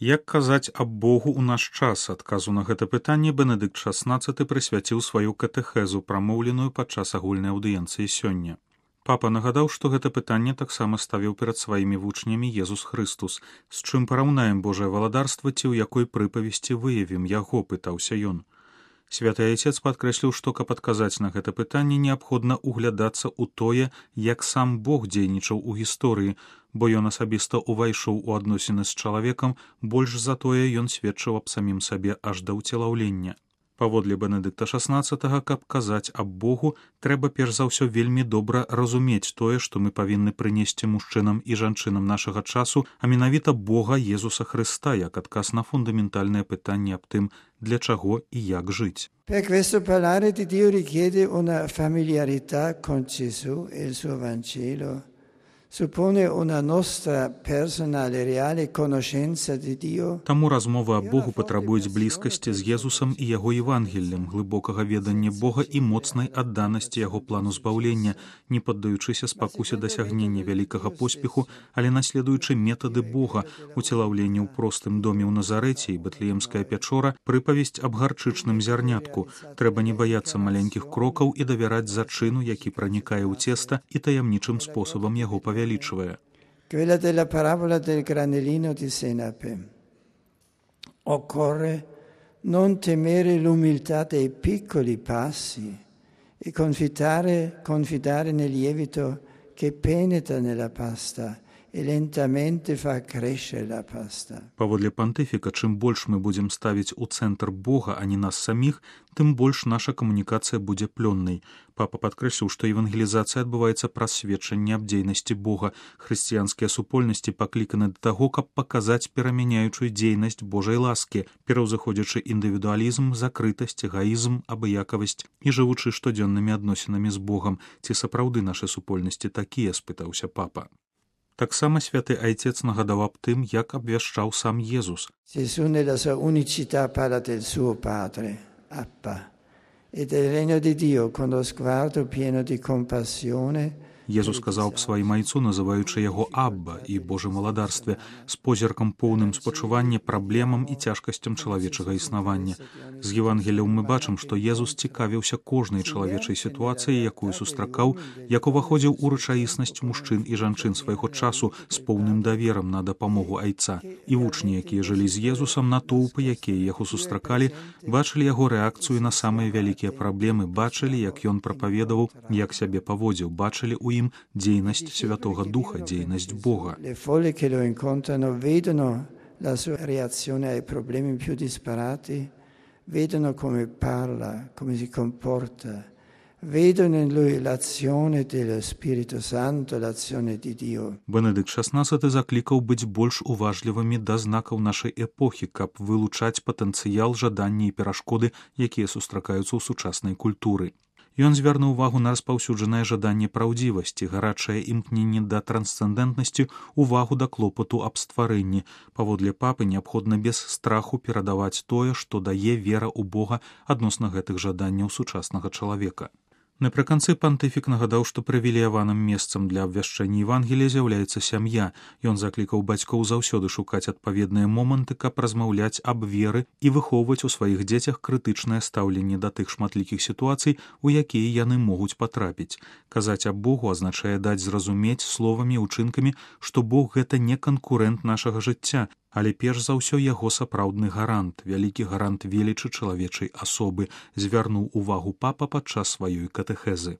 Як казаць аб Богу ў наш час? Адказу на гэта пытанне Бенедыкт XVI прысвяціў сваю катэхезу, прамоўленую падчас агульнай аўдыенцыі сёння. Папа нагадаў, што гэта пытанне таксама ставіў перад сваімі вучнямі Езус Хрыстус. З чым параўнаем Божае валадарства ці ў якой прыпавесці выявім яго, пытаўся ён. Святы Айцец падкрэсліў, што каб адказаць на гэта пытанне, неабходна углядацца ў тое, як сам Бог дзейнічаў у гісторыі, бо ён асабіста ўвайшоў у адносіны з чалавекам, больш за тое ён сведчыў аб самім сабе аж да ўцелаўлення. Паводле Бенедыкта XVI, каб казаць аб Богу, трэба перш за ўсё вельмі добра разумець тое, што мы павінны прынесці мужчынам і жанчынам нашага часу, а менавіта Бога Езуса Христа, як адказ на фундаментальнае пытанне аб тым, для чаго і як жыць. Per questo parlare di Dio richiede una familiarità con Gesù e il suo Vangelo. Suppone una nostra personale reale conoscenza di Dio. Таму размовы аб Богу патрабуюць блізкасці з Езусам і яго Евангеллем, глыбокага ведання Бога і моцнай адданасці яго плану збаўлення, не паддаючыся спакусе дасягнення вялікага поспеху, але наследуючы метады Бога, уцелаўленне ў простым доме ў Назарэце і Бэтлеемская пячора, прыпавесць аб гарчычным зярнятку. Трэба не баяцца маленькіх крокаў і давяраць зачыну, які пранікае ў цеста і таямнічым спосабам яго павялічвае. Quella della parabola del granellino di senape. Occorre non temere l'umiltà dei piccoli passi e confidare nel lievito che penetra nella pasta и lentamente fa crescere la pasta. Паводле пантыфіка, чым больш мы будзем ставіць у цэнтр Бога, а не нас саміх, тым больш наша камунікацыя будзе плённай. Папа падкрэсліў, што евангелізацыя адбываецца праз сведчанне аб дзейнасці Бога. Хрысціянскія супольнасці пакліканы да таго, каб паказаць перамяняючую дзейнасць Божай ласкі, пераўзыходзячы індывідуалізм, закрытасць, эгаізм, абыякавасць і жывучы штодзённымі адносінамі з Богам. Ці сапраўды нашы супольнасці такія, спытаўся папа. Таксама святы Айцец нагадаў аб тым, як абвяшчаў сам Езус. Gesù nella sua unicità parla del suo Padre, Abba, e del regno di Dio con lo sguardo pieno di compassione. Езус сказаў аб сваім айцу, называючы яго Абба і Божым валадарстве, з позіркам поўным спачування праблемам і цяжкасцям чалавечага існавання. З Евангеліяў мы бачым, што Езус цікавіўся кожнай чалавечай сітуацыяй, якую сустракаў, як уваходзіў у рэчаіснасць мужчын і жанчын свайго часу з поўным даверам на дапамогу айца. І вучні, якія жылі з Езусам, натоўпы, якія яго сустракалі, бачылі яго рэакцыю на самыя вялікія праблемы, бачылі, як ён прапаведаваў, як сябе паводзіў, бачылі ў ім дзейнасць Святога Духа, дзейнасць Бога. Le folle che lo incontrano vedono la sua reazione ai problemi più disparati, vedono come parla, come si comporta, vedono in lui l'azione dello Spirito Santo, l'azione di Dio. Бенедыкт XVI заклікаў быць больш уважлівымі да знакаў нашай эпохі, каб вылучаць патэнцыял, жаданні і перашкоды, якія сустракаюцца ў сучаснай культуры. Ён звярнуў увагу на распаўсюджанае жаданне праўдзівасці, гарачае імкненне да трансцэндэнтнасці, увагу да клопату аб стварэнні. Паводле папы неабходна без страху перадаваць тое, што дае вера ў Бога адносна гэтых жаданняў сучаснага чалавека. Напрыканцы пантыфік нагадаў, што прывілеяваным месцам для абвяшчэння Евангелія з'яўляецца сям'я. Ён заклікаў бацькоў заўсёды шукаць адпаведныя моманты, каб размаўляць аб веры і выхоўваць у сваіх дзецях крытычнае стаўленне да тых шматлікіх сітуацый, у якія яны могуць патрапіць. Казаць аб Богу азначае даць зразумець словамі, учынкамі, што Бог гэта не канкурэнт нашага жыцця, але перш за ўсё яго сапраўдны гарант, вялікі гарант велічы чалавечай асобы, звярнуў увагу папа падчас сваёй катэхезы.